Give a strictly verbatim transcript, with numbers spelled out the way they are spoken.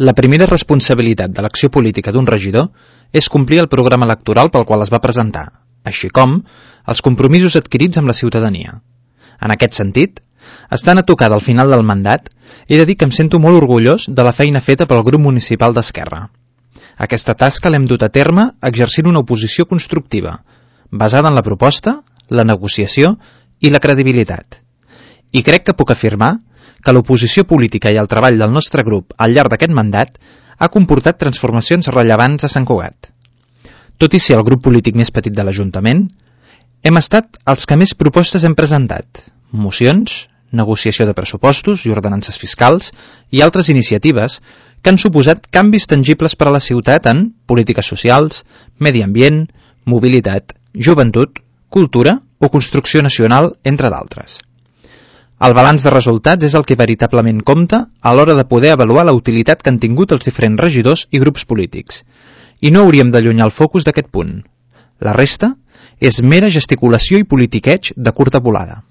La primera responsabilitat de l'acció política d'un regidor és complir el programa electoral pel qual es va presentar, així com els compromisos adquirits amb la ciutadania. En aquest sentit, estant a tocar del final del mandat, he de dir que em sento molt orgullós de la feina feta pel grup municipal d'Esquerra. Aquesta tasca l'hem dut a terme exercint una oposició constructiva, basada en la proposta, la negociació i la credibilitat. I crec que puc afirmar que l'oposició política i el treball del nostre grup al llarg d'aquest mandat ha comportat transformacions rellevants a Sant Cugat. Tot i ser el grup polític més petit de l'Ajuntament, hem estat els que més propostes hem presentat, mocions, negociació de pressupostos i ordenances fiscals i altres iniciatives que han suposat canvis tangibles per a la ciutat en polítiques socials, medi ambient, mobilitat, joventut, cultura o construcció nacional, entre d'altres. El balanç de resultats és el que veritablement compta a l'hora de poder avaluar la utilitat que han tingut els diferents regidors i grups polítics, i no hauríem d'allunyar el focus d'aquest punt. La resta és mera gesticulació i politiqueig de curta volada.